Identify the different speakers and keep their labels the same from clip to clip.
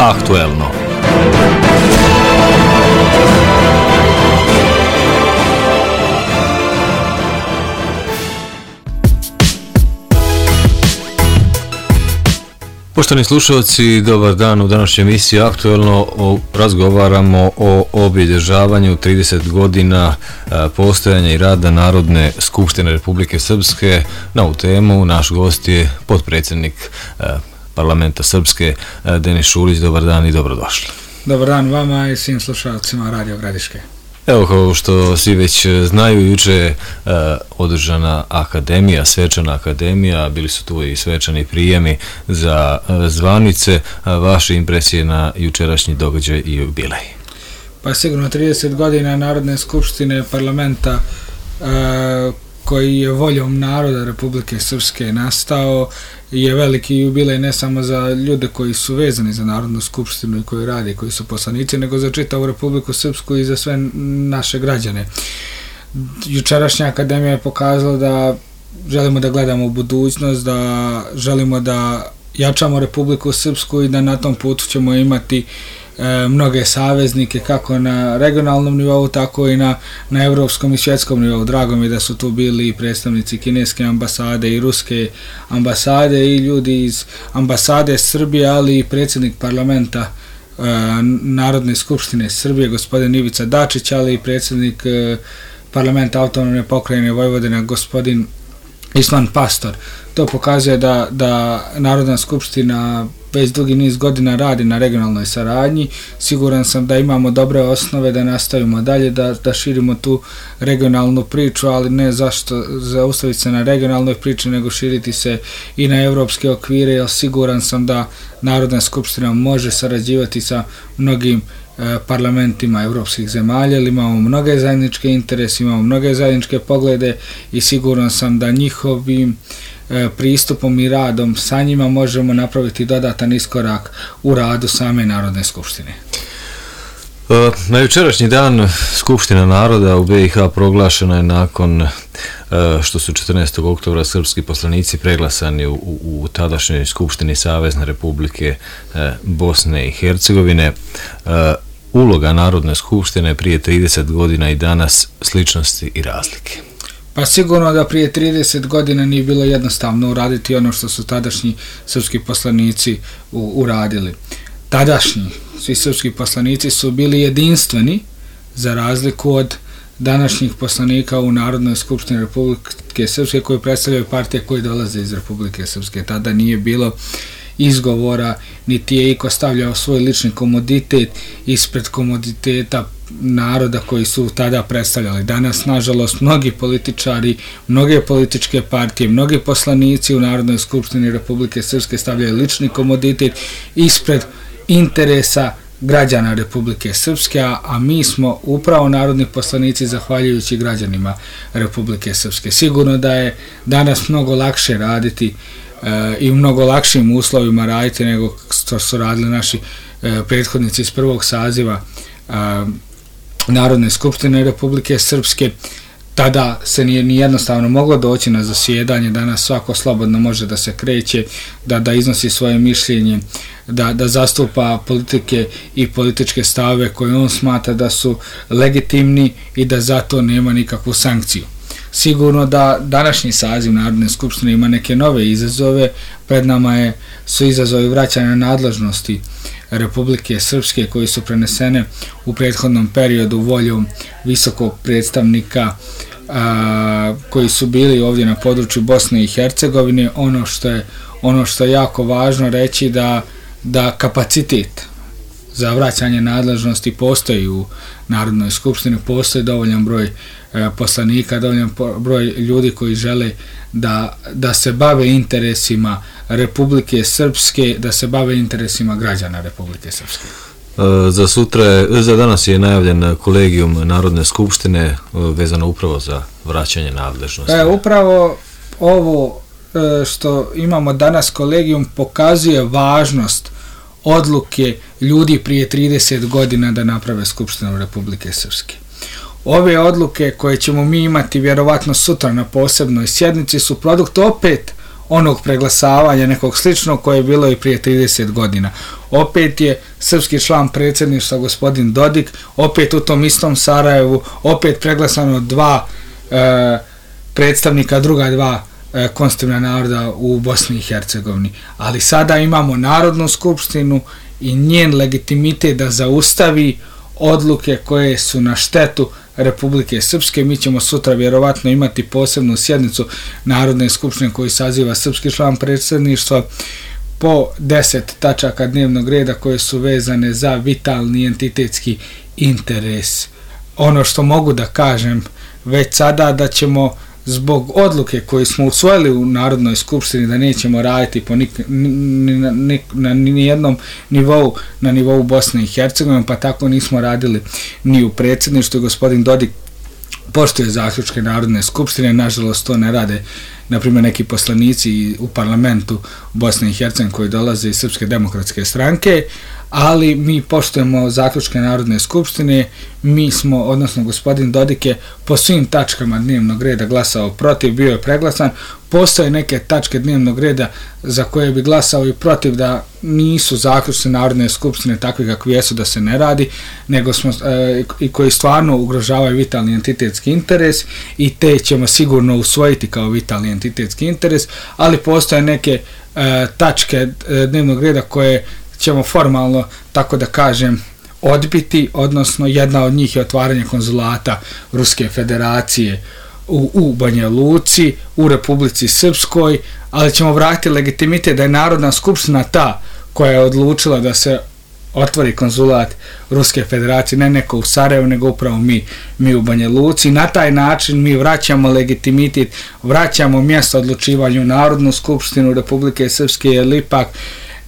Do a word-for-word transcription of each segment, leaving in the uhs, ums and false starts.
Speaker 1: Aktuelno. Poštovani slušalci, dobar dan. U današnjoj emisiji Aktuelno razgovaramo o obilježavanju trideset godina postojanja i rada Narodne skupštine Republike Srpske. Na ovu temu naš gost je potpredsjednik Parlamenta Srpske Denis Šulić. Dobar dan i dobrodošli.
Speaker 2: Dobar dan vama i svim slušalcima Radio Gradiške.
Speaker 1: Evo, kao što svi već znaju, juče je uh, održana akademija, svečana akademija, bili su tu i svečani prijemi za uh, zvanice. Uh, vaše impresije na jučerašnji događaj i jubilej?
Speaker 2: Pa sigurno trideset godina Narodne skupštine parlamenta uh, koji je voljom naroda Republike Srpske nastao je veliki jubilej ne samo za ljude koji su vezani za Narodnu skupštinu i koji rade, koji su poslanici, nego za čitavu Republiku Srpsku i za sve naše građane. Jučerašnja akademija je pokazala da želimo da gledamo u budućnost, da želimo da jačamo Republiku Srpsku i da na tom putu ćemo imati e, mnoge saveznike kako na regionalnom nivou, tako i na, na evropskom i svjetskom nivou. Drago mi je da su tu bili i predstavnici kineske ambasade i ruske ambasade i ljudi iz ambasade Srbije, ali i predsjednik parlamenta e, Narodne skupštine Srbije, gospodin Ivica Dačić, ali i predsjednik e, parlamenta autonomne pokrajine Vojvodina, gospodin Isman Pastor. To pokazuje da, da Narodna skupština već dugi niz godina radi na regionalnoj saradnji. Siguran sam da imamo dobre osnove da nastavimo dalje, da, da širimo tu regionalnu priču, ali ne zašto zaustaviti se na regionalnoj priči, nego širiti se i na evropske okvire, jer siguran sam da Narodna skupština može sarađivati sa mnogim parlamentima evropskih zemalja, ali imamo mnoge zajedničke interese, imamo mnoge zajedničke poglede i siguran sam da njihovim pristupom i radom sa njima možemo napraviti dodatan iskorak u radu same Narodne skupštine.
Speaker 1: Na jučerašnji dan Skupština naroda u be i ha proglašena je nakon što su četrnaestog oktobra srpski poslanici preglasani u, u, u tadašnjoj Skupštini Savezne Republike Bosne i Hercegovine. Uloga Narodne skupštine prije trideset godina i danas, sličnosti i razlike.
Speaker 2: Pa sigurno da prije trideset godina nije bilo jednostavno uraditi ono što su tadašnji srpski poslanici u, uradili. Tadašnji svi srpski poslanici su bili jedinstveni za razliku od današnjih poslanika u Narodnoj skupštini Republike Srpske koji predstavljaju partije koji dolaze iz Republike Srpske. Tada nije bilo izgovora, niti je iko stavljao svoj lični komoditet ispred komoditeta naroda koji su tada predstavljali. Danas, nažalost, mnogi političari, mnoge političke partije, mnogi poslanici u Narodnoj skupštini Republike Srpske stavljaju lični komoditet ispred interesa građana Republike Srpske, a mi smo upravo narodni poslanici zahvaljujući građanima Republike Srpske. Sigurno da je danas mnogo lakše raditi i u mnogo lakšim uslovima raditi nego što su radili naši prethodnici iz prvog saziva Narodne skupštine Republike Srpske. Tada se nije ni jednostavno moglo doći na zasjedanje, danas svako slobodno može da se kreće, da, da iznosi svoje mišljenje, da, da zastupa politike i političke stave koje on smatra da su legitimni i da zato nema nikakvu sankciju. Sigurno da današnji saziv Narodne skupštine ima neke nove izazove, pred nama je, su izazovi vraćanja nadležnosti Republike Srpske koji su prenesene u prethodnom periodu voljom visokog predstavnika a, koji su bili ovdje na području Bosne i Hercegovine. Ono što je, ono što je jako važno reći da, da kapacitet za vraćanje nadležnosti postoji u Narodnoj skupštini, postoji dovoljan broj e, poslanika, dovoljan broj ljudi koji žele da, da se bave interesima Republike Srpske, da se bave interesima građana Republike Srpske.
Speaker 1: E, za sutra, je, za danas je najavljen kolegijum Narodne skupštine vezano upravo za vraćanje nadležnosti.
Speaker 2: E, upravo ovo e, što imamo danas kolegijum pokazuje važnost odluke ljudi prije trideset godina da naprave Skupštinu Republike Srpske. Ove odluke koje ćemo mi imati vjerovatno sutra na posebnoj sjednici su produkt opet onog preglasavanja nekog sličnog koje je bilo i prije trideset godina. Opet je srpski član predsjedništva gospodin Dodik, opet u tom istom Sarajevu, opet preglasano dva e, predstavnika, druga dva e, konstitutivna naroda u Bosni i Hercegovini. Ali sada imamo Narodnu skupštinu i njen legitimitet da zaustavi odluke koje su na štetu Republike Srpske. Mi ćemo sutra vjerovatno imati posebnu sjednicu Narodne skupštine koju saziva srpski član predsjedništva po deset tačaka dnevnog reda koje su vezane za vitalni entitetski interes. Ono što mogu da kažem već sada da ćemo zbog odluke koju smo usvojili u Narodnoj skupštini da nećemo raditi po nik, ni, ni, na nijednom nivou, na nivou Bosne i Hercegovine, pa tako nismo radili ni u predsjedništvu. Gospodin Dodik poštuje zaključke Narodne skupštine, nažalost to ne rade na primjer neki poslanici u parlamentu Bosne i Hercegovine koji dolaze iz Srpske demokratske stranke, ali mi poštujemo zaključke Narodne skupštine. Mi smo, odnosno gospodin Dodik je po svim tačkama dnevnog reda glasao protiv, bio je preglasan. Postoje neke tačke dnevnog reda za koje bi glasao i protiv da nisu zaključci Narodne skupštine takvi kakvi jesu, da se ne radi, nego smo e, i koji stvarno ugrožavaju vitalni entitetski interes i te ćemo sigurno usvojiti kao vitalni entitetski interes, ali postoje neke e, tačke e, dnevnog reda koje ćemo formalno, tako da kažem, odbiti, odnosno jedna od njih je otvaranje konzulata Ruske federacije u, u Banja Luci, u Republici Srpskoj, ali ćemo vratiti legitimitet da je Narodna skupština ta koja je odlučila da se otvori konzulat Ruske federacije, ne neko u Sarajevu, nego upravo mi, mi u Banja Luci. Na taj način mi vraćamo legitimitet, vraćamo mjesto odlučivanju Narodnu skupštinu Republike Srpske, jer ipak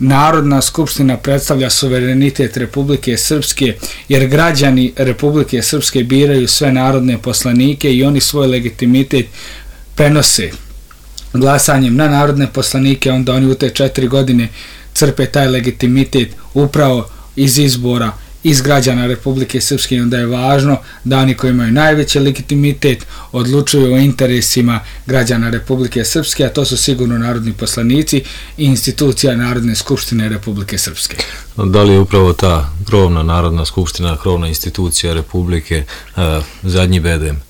Speaker 2: Narodna skupština predstavlja suverenitet Republike Srpske, jer građani Republike Srpske biraju sve narodne poslanike i oni svoj legitimitet prenose glasanjem na narodne poslanike, onda oni u te četiri godine crpe taj legitimitet upravo iz izbora iz građana Republike Srpske, i onda je važno da oni koji imaju najveći legitimitet odlučuju o interesima građana Republike Srpske, a to su sigurno narodni poslanici i institucija Narodne skupštine Republike Srpske.
Speaker 1: Da li je upravo ta krovna Narodna skupština, krovna institucija Republike, uh, zadnji bedem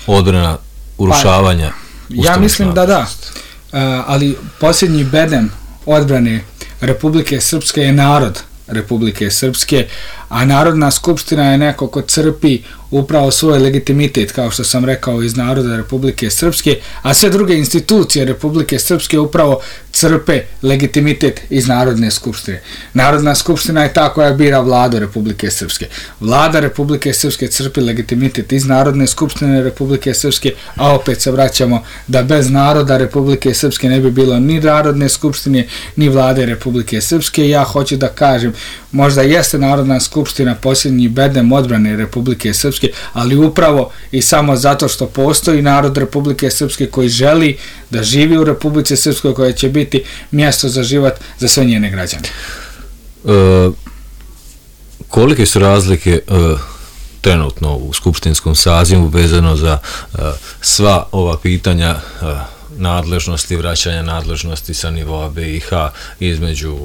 Speaker 1: odbrana urušavanja
Speaker 2: pa, ja mislim da da, uh, ali posljednji bedem odbrane Republike Srpske je narod Republike Srpske, a Narodna skupština je neko ko crpi upravo svoj legitimitet, kao što sam rekao, iz naroda Republike Srpske, a sve druge institucije Republike Srpske upravo crpe legitimitet iz Narodne skupštine. Narodna skupština je ta koja bira vladu Republike Srpske. Vlada Republike Srpske crpi legitimitet iz Narodne skupštine Republike Srpske, a opet se vraćamo da bez naroda Republike Srpske ne bi bilo ni Narodne skupštine, ni vlade Republike Srpske. Ja hoću da kažem, možda jeste Narodna skupština posljednji bedem odbrane Republike Srpske, ali upravo i samo zato što postoji narod Republike Srpske koji želi da živi u Republici Srpskoj, koja će biti mjesto za život za sve njene građane.
Speaker 1: E, kolike su razlike e, trenutno u skupštinskom sazivu vezano za e, sva ova pitanja e, nadležnosti, vraćanja nadležnosti sa nivoa B i H između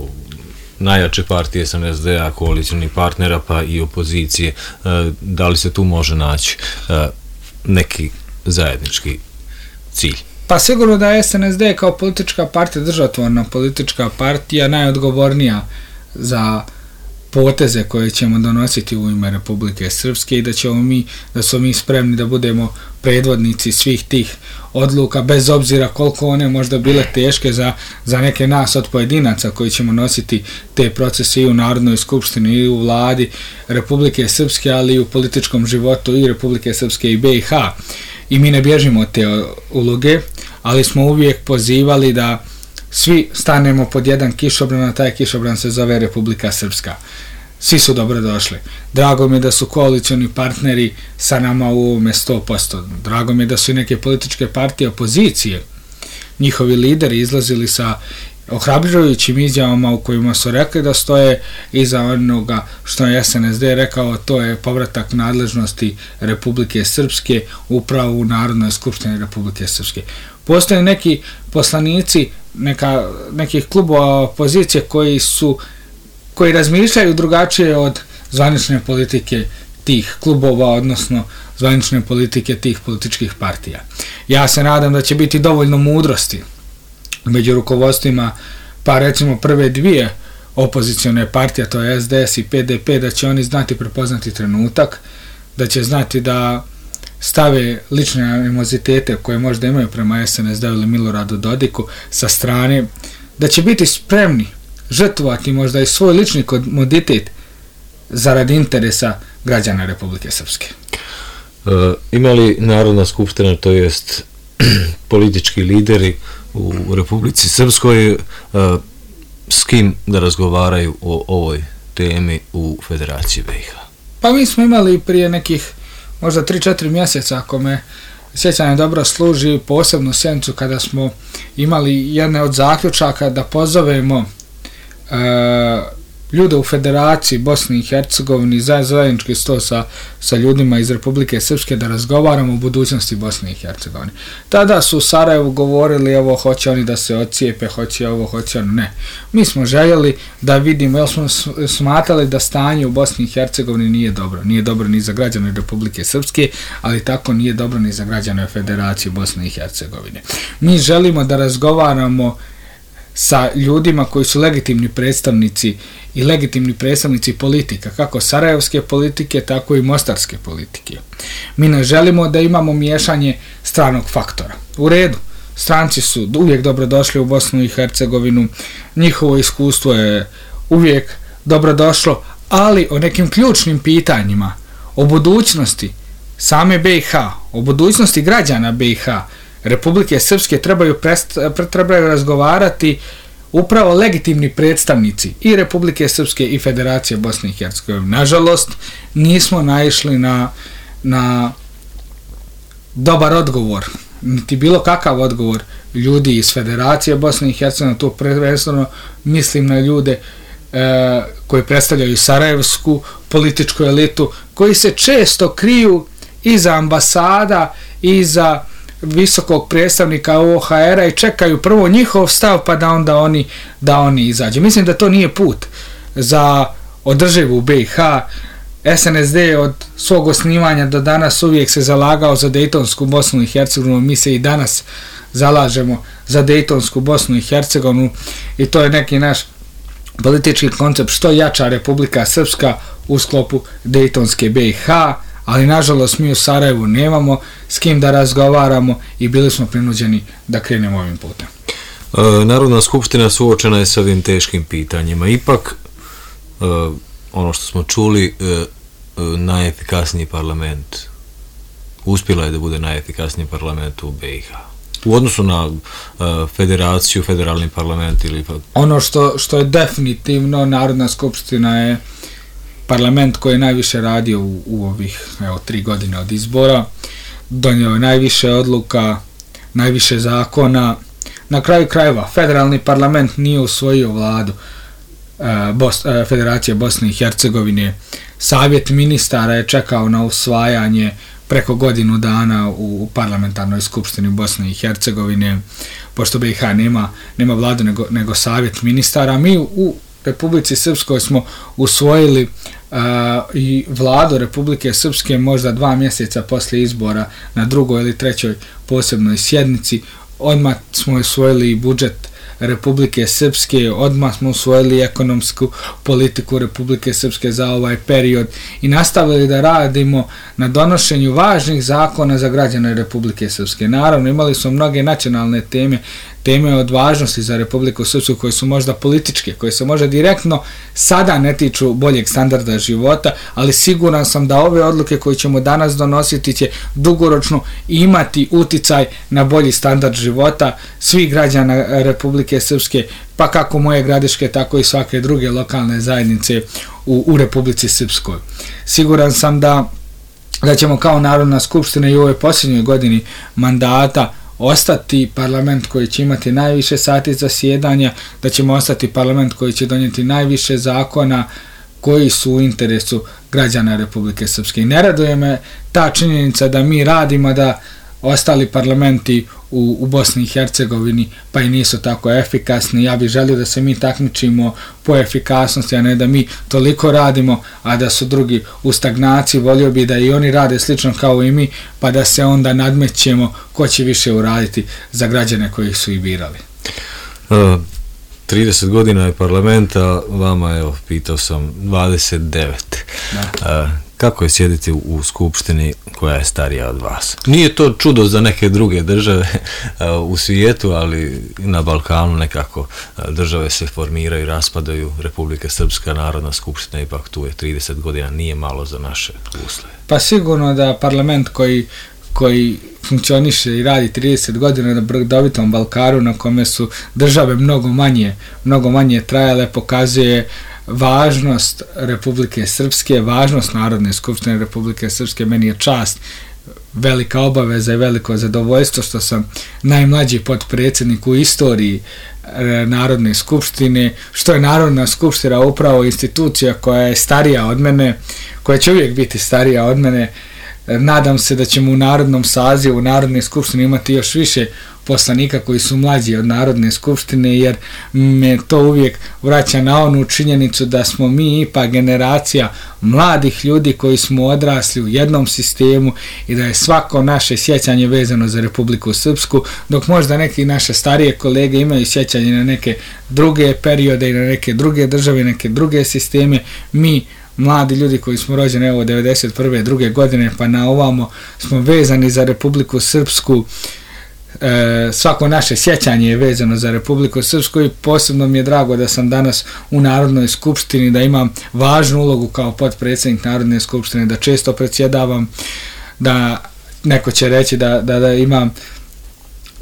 Speaker 1: najjače partije S N S D-a, koalicijnih partnera pa i opozicije? Da li se tu može naći neki zajednički cilj?
Speaker 2: Pa sigurno da je S N S D kao politička partija, državotvorna politička partija, najodgovornija za poteze koje ćemo donositi u ime Republike Srpske i da ćemo mi, da smo mi spremni da budemo predvodnici svih tih odluka, bez obzira koliko one možda bile teške za, za neke nas od pojedinaca koji ćemo nositi te procese i u Narodnoj skupštini i u vladi Republike Srpske, ali i u političkom životu i Republike Srpske i B i H. I mi ne bježimo od te uloge, ali smo uvijek pozivali da svi stanemo pod jedan kišobran, a taj kišobran se zove Republika Srpska. Svi su dobrodošli. Drago mi je da su koalicioni partneri sa nama u ovome sto posto. Drago mi je da su i neke političke partije opozicije, njihovi lideri izlazili sa ohrabrujućim izjavama u kojima su rekli da stoje iza onoga što je S N S D rekao, to je povratak nadležnosti Republike Srpske upravo u Narodnoj skupštini Republike Srpske. Postoje neki poslanici neka, nekih klubova opozicije koji su koji razmišljaju drugačije od zvanične politike tih klubova, odnosno zvanične politike tih političkih partija. Ja se nadam da će biti dovoljno mudrosti među rukovodstvima, pa recimo prve dvije opozicione partije, to je S D S i P D P, da će oni znati prepoznati trenutak, da će znati da stave lične animozitete koje možda imaju prema S N S D ili Miloradu Dodiku sa strane, da će biti spremni žrtvovati možda i svoj lični komoditet zarad interesa građana Republike Srpske.
Speaker 1: E, ima li Narodna skupština, to jest politički lideri u Republici Srpskoj, e, s kim da razgovaraju o ovoj temi u Federaciji B i H?
Speaker 2: Pa mi smo imali prije nekih možda tri četiri mjeseca, ako me sjećanje dobro služi, posebnu sjednicu kada smo imali jedne od zaključaka da pozovemo e, ljude u Federaciji Bosni i Hercegovini za zajednički sto sa, sa ljudima iz Republike Srpske da razgovaramo o budućnosti Bosne i Hercegovine. Tada su u Sarajevu govorili evo hoće oni da se odcijepe, hoće ovo, hoće ono, ne. Mi smo željeli da vidimo, jer smo smatrali da stanje u Bosni i Hercegovini nije dobro. Nije dobro ni za građane Republike Srpske, ali tako nije dobro ni za građane Federacije Bosne i Hercegovine. Mi želimo da razgovaramo sa ljudima koji su legitimni predstavnici i legitimni predstavnici politika, kako sarajevske politike, tako i mostarske politike. Mi ne želimo da imamo miješanje stranog faktora. U redu, stranci su uvijek dobrodošli u Bosnu i Hercegovinu, njihovo iskustvo je uvijek dobrodošlo, ali o nekim ključnim pitanjima, o budućnosti same B i H, o budućnosti građana B i H, Republike Srpske trebaju, prest, trebaju razgovarati upravo legitimni predstavnici i Republike Srpske i Federacije Bosne i Hercegovine. Nažalost, nismo naišli na, na dobar odgovor, niti bilo kakav odgovor ljudi iz Federacije Bosne i Hercegovine, to prvenstveno mislim na ljude e, koji predstavljaju sarajevsku političku elitu, koji se često kriju iza ambasada, iza visokog predstavnika O H R-a i čekaju prvo njihov stav pa da onda oni, da oni izađu. Mislim da to nije put za održivu B i H. S N S D od svog osnivanja do danas uvijek se zalagao za Dejtonsku Bosnu i Hercegovinu, mi se i danas zalažemo za Dejtonsku Bosnu i Hercegovinu i to je neki naš politički koncept što jača Republika Srpska u sklopu Dejtonske B i H, ali nažalost mi u Sarajevu nemamo s kim da razgovaramo i bili smo prinuđeni da krenemo ovim putem.
Speaker 1: E, Narodna skupština suočena je s ovim teškim pitanjima. Ipak, e, ono što smo čuli, e, e, najefikasniji parlament, uspjela je da bude najefikasniji parlament u B i H. U odnosu na uh, federaciju, federalni parlament ili...
Speaker 2: Ono što, što je definitivno, Narodna skupština je parlament koji je najviše radio u, u ovih evo, tri godine od izbora, donio je najviše odluka, najviše zakona. Na kraju krajeva, federalni parlament nije usvojio vladu uh, Bos, uh, Federacije Bosne i Hercegovine. Savjet ministara je čekao na usvajanje preko godinu dana u parlamentarnoj skupštini Bosne i Hercegovine, pošto B i H nema, nema vladu nego, nego savjet ministara. Mi u, u Republici Srpskoj smo usvojili uh, i vladu Republike Srpske možda dva mjeseca poslije izbora na drugoj ili trećoj posebnoj sjednici. Odmah smo usvojili i budžet Republike Srpske, odmah smo usvojili ekonomsku politiku Republike Srpske za ovaj period i nastavili da radimo na donošenju važnih zakona za građane Republike Srpske. Naravno, imali smo mnoge nacionalne teme, teme od važnosti za Republiku Srpsku koje su možda političke, koje se možda direktno sada ne tiču boljeg standarda života, ali siguran sam da ove odluke koje ćemo danas donositi će dugoročno imati uticaj na bolji standard života svih građana Republike Srpske, pa kako moje Gradiške, tako i svake druge lokalne zajednice u, u Republici Srpskoj. Siguran sam da, da ćemo kao Narodna skupština i u ovoj posljednjoj godini mandata ostati parlament koji će imati najviše sati zasjedanja, da ćemo ostati parlament koji će donijeti najviše zakona koji su u interesu građana Republike Srpske. I ne raduje me ta činjenica da mi radimo, da ostali parlamenti u, u Bosni i Hercegovini pa i nisu tako efikasni. Ja bih želio da se mi takmičimo po efikasnosti, a ne da mi toliko radimo, a da su drugi u stagnaciji. Volio bih da i oni rade slično kao i mi, pa da se onda nadmećemo ko će više uraditi za građane koji su ih birali.
Speaker 1: Uh. trideset godina je parlamenta, vama, evo, pitao sam, dvadeset devet. Da. Kako je sjediti u skupštini koja je starija od vas? Nije to čudo za neke druge države u svijetu, ali na Balkanu nekako države se formiraju, raspadaju. Republika Srpska, Narodna skupština, ipak tu je trideset godina, nije malo za naše uslove.
Speaker 2: Pa sigurno da parlament koji koji funkcioniše i radi trideset godina na brdovitom Balkaru, na kome su države mnogo manje, mnogo manje trajale, pokazuje važnost Republike Srpske, važnost Narodne skupštine Republike Srpske. Meni je čast, velika obaveza i veliko zadovoljstvo što sam najmlađi potpredsjednik u istoriji Narodne skupštine, što je Narodna skupština upravo institucija koja je starija od mene, koja će uvijek biti starija od mene. Nadam se da ćemo u narodnom sazivu, u Narodne skupštine imati još više poslanika koji su mlađi od Narodne skupštine, jer me to uvijek vraća na onu činjenicu da smo mi ipak generacija mladih ljudi koji smo odrasli u jednom sistemu i da je svako naše sjećanje vezano za Republiku Srpsku, dok možda neki naše starije kolege imaju sjećanje na neke druge periode i na neke druge države, neke druge sisteme. Mi mladi ljudi koji smo rođeni evo devedeset prve druge godine pa na ovamo smo vezani za Republiku Srpsku. E, svako naše sjećanje je vezano za Republiku Srpsku i posebno mi je drago da sam danas u Narodnoj skupštini, da imam važnu ulogu kao potpredsjednik Narodne skupštine, da često predsjedavam, da neko će reći da, da, da imam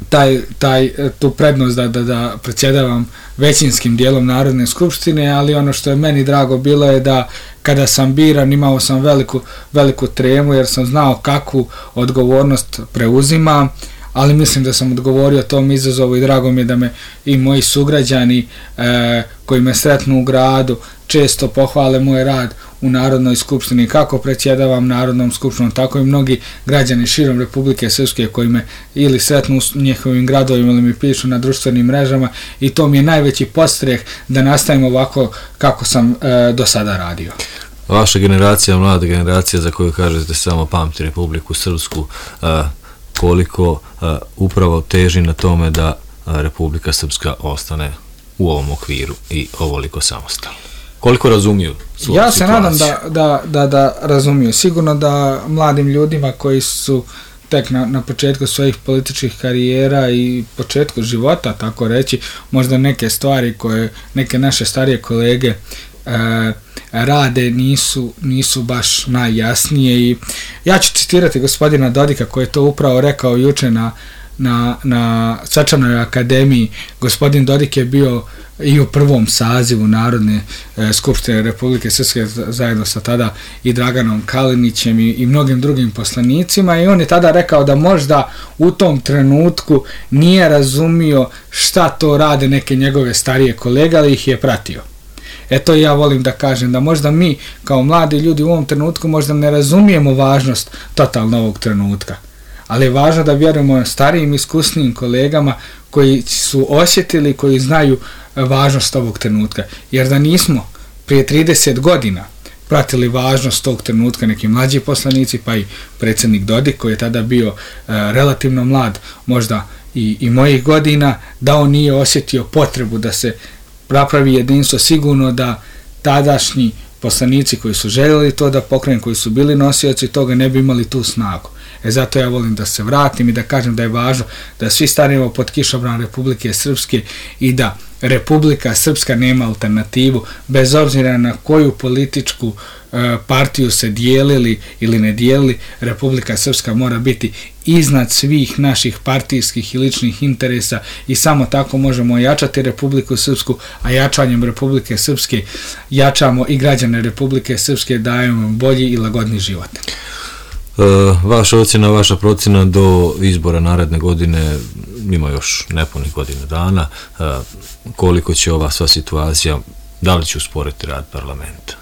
Speaker 2: taj, taj, tu prednost da, da, da predsjedavam većinskim dijelom Narodne skupštine, ali ono što je meni drago bilo je da kada sam biran imao sam veliku, veliku tremu jer sam znao kakvu odgovornost preuzimam, ali mislim da sam odgovorio tom izazovu i drago mi je da me i moji sugrađani e, koji me sretnu u gradu često pohvale moj rad u Narodnoj skupštini, kako predsjedavam Narodnom skupštinom, tako i mnogi građani širom Republike Srpske koji me ili sretnu u njihovim gradovima ili mi pišu na društvenim mrežama i to mi je najveći podstreh da nastavim ovako kako sam e, do sada radio.
Speaker 1: Vaša generacija, mlada generacija za koju kažete samo pamti Republiku Srpsku, e, koliko uh, upravo teži na tome da uh, Republika Srpska ostane u ovom okviru i ovoliko samostalno. Koliko razumiju svoju
Speaker 2: ja
Speaker 1: situaciju?
Speaker 2: Ja se nadam da, da, da, da razumiju. Sigurno da mladim ljudima koji su tek na, na početku svojih političkih karijera i početku života, tako reći, možda neke stvari koje neke naše starije kolege uh, rade nisu, nisu baš najjasnije i ja ću citirati gospodina Dodika koji je to upravo rekao juče na, na, na Svečanoj akademiji. Gospodin Dodik je bio i u prvom sazivu Narodne e, skupštine Republike Srpske zajedno sa tada i Draganom Kalinićem i, i mnogim drugim poslanicima i on je tada rekao da možda u tom trenutku nije razumio šta to rade neke njegove starije kolege, ali ih je pratio. Eto ja volim da kažem da možda mi kao mladi ljudi u ovom trenutku možda ne razumijemo važnost totalno ovog trenutka, ali je važno da vjerujemo starijim iskusnijim kolegama koji su osjetili, koji znaju važnost ovog trenutka, jer da nismo prije trideset godina pratili važnost tog trenutka neki mlađi poslanici pa i predsjednik Dodik koji je tada bio e, relativno mlad, možda i, i mojih godina, da on nije osjetio potrebu da se napravi jedinstvo, sigurno da tadašnji poslanici koji su željeli to da pokrenu, koji su bili nosioci toga, ne bi imali tu snagu. E zato ja volim da se vratim i da kažem da je važno da svi stanemo pod kišobran Republike Srpske i da Republika Srpska nema alternativu, bez obzira na koju političku e, partiju se dijelili ili ne dijelili, Republika Srpska mora biti iznad svih naših partijskih i ličnih interesa i samo tako možemo jačati Republiku Srpsku, a jačanjem Republike Srpske jačamo i građane Republike Srpske, dajemo bolji i lagodni život.
Speaker 1: Vaša ocjena, vaša procjena do izbora naredne godine, ima još nepunih godina dana, koliko će ova sva situacija, da li će usporiti rad parlamenta?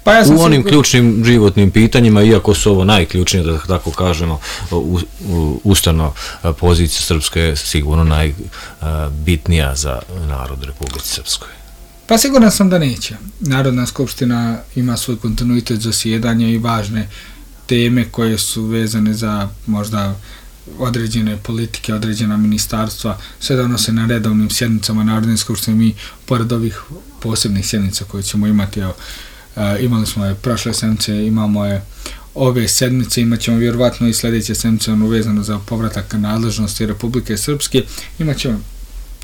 Speaker 2: Pa ja
Speaker 1: u onim sigur... ključnim životnim pitanjima, iako su ovo najključnije, da tako kažemo, u, u, ustavno pozicija Srpske je sigurno najbitnija za narod Republike Srpskoj.
Speaker 2: Pa siguran sam da neće. Narodna skupština ima svoj kontinuitet zasjedanja i važne teme koje su vezane za možda određene politike, određena ministarstva, sve donose na redovnim sjednicama Narodne skupštine. Mi, pored ovih posebnih sjednica koje ćemo imati, evo, imali smo je prošle sedmice, imamo je ove sedmice, imat ćemo vjerovatno i sljedeće sedmice uvezano za povratak nadležnosti Republike Srpske, imat ćemo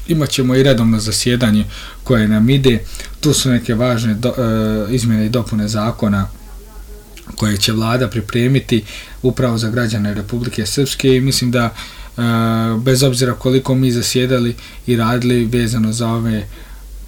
Speaker 2: imat ćemo i redovno zasjedanje koje nam ide. Tu su neke važne do, e, izmjene i dopune zakona koje će vlada pripremiti upravo za građane Republike Srpske i mislim da e, bez obzira koliko mi zasjedali i radili vezano za ove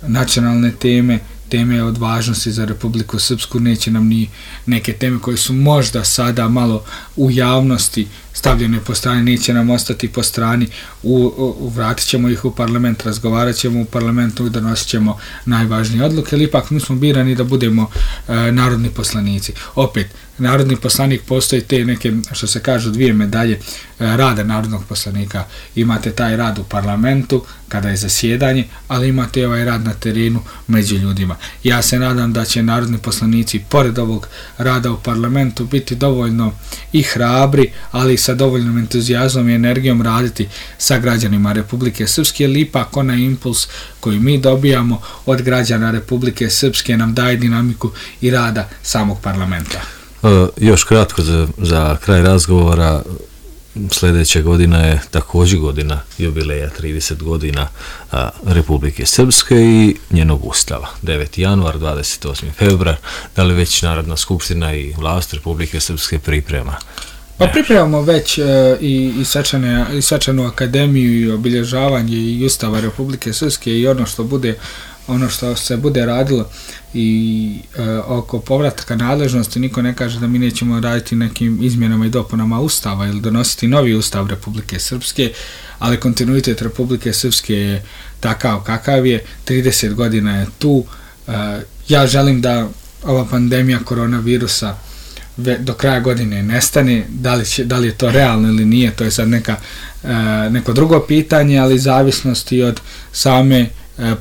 Speaker 2: nacionalne teme, teme od važnosti za Republiku Srpsku, neće nam ni neke teme koje su možda sada malo u javnosti stavljene po strani, neće nam ostati po strani, u, u, vratit ćemo ih u parlament, razgovarat ćemo u parlamentu i donosit ćemo najvažnije odluke, ali ipak mi smo birani da budemo e, narodni poslanici. Opet, narodni poslanik postoji te neke, što se kažu, dvije medalje e, rada narodnog poslanika. Imate taj rad u parlamentu, kada je zasjedanje, ali imate ovaj rad na terenu među ljudima. Ja se nadam da će narodni poslanici, pored ovog rada u parlamentu, biti dovoljno i hrabri, ali sa dovoljnom entuzijazmom i energijom raditi sa građanima Republike Srpske, jer ipak onaj impuls koji mi dobijamo od građana Republike Srpske nam daje dinamiku i rada samog parlamenta.
Speaker 1: Uh, još kratko za, za kraj razgovora, sljedeća godina je također godina jubileja trideset godina a, Republike Srpske i njenog ustava. deveti januar, dvadeset osmi februar, da li već Narodna skupština i vlast Republike Srpske priprema?
Speaker 2: Pa pripremamo već e, i, i, svečane, i svečanu akademiju i obilježavanje i ustava Republike Srpske i ono što bude ono što se bude radilo i e, oko povratka nadležnosti. Niko ne kaže da mi nećemo raditi nekim izmjenama i dopunama ustava ili donositi novi ustav Republike Srpske, ali kontinuitet Republike Srpske je takav kakav je, trideset godina je tu. E, ja želim da ova pandemija koronavirusa do kraja godine nestane, da li, će, da li je to realno ili nije, to je sad neka, e, neko drugo pitanje, ali zavisnosti od same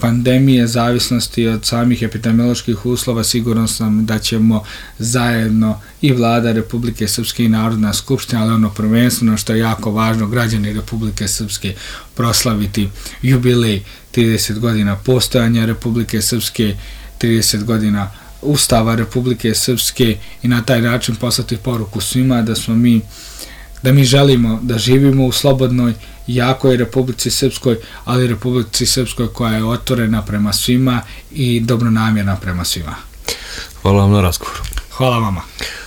Speaker 2: pandemije, zavisnosti od samih epidemioloških uslova, sigurno sam da ćemo zajedno i vlada Republike Srpske i Narodna skupština, ali ono prvenstveno što je jako važno, građani Republike Srpske proslaviti jubilej trideset godina postojanja Republike Srpske, trideset godina Ustava Republike Srpske i na taj način poslati poruku svima da smo mi da mi želimo da živimo u slobodnoj, jakoj Republici Srpskoj, ali Republici Srpskoj koja je otvorena prema svima i dobronamjerna prema svima.
Speaker 1: Hvala vam na razgovoru.
Speaker 2: Hvala vama.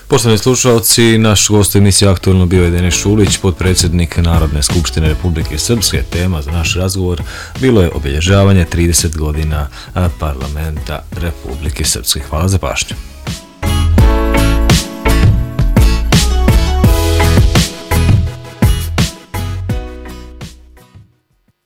Speaker 1: Poštovani slušalci, naš gost u emisiji Aktualno bio je Denis Šulić, potpredsjednik Narodne skupštine Republike Srpske. Tema za naš razgovor bilo je obilježavanje trideset godina parlamenta Republike Srpske. Hvala za pažnju.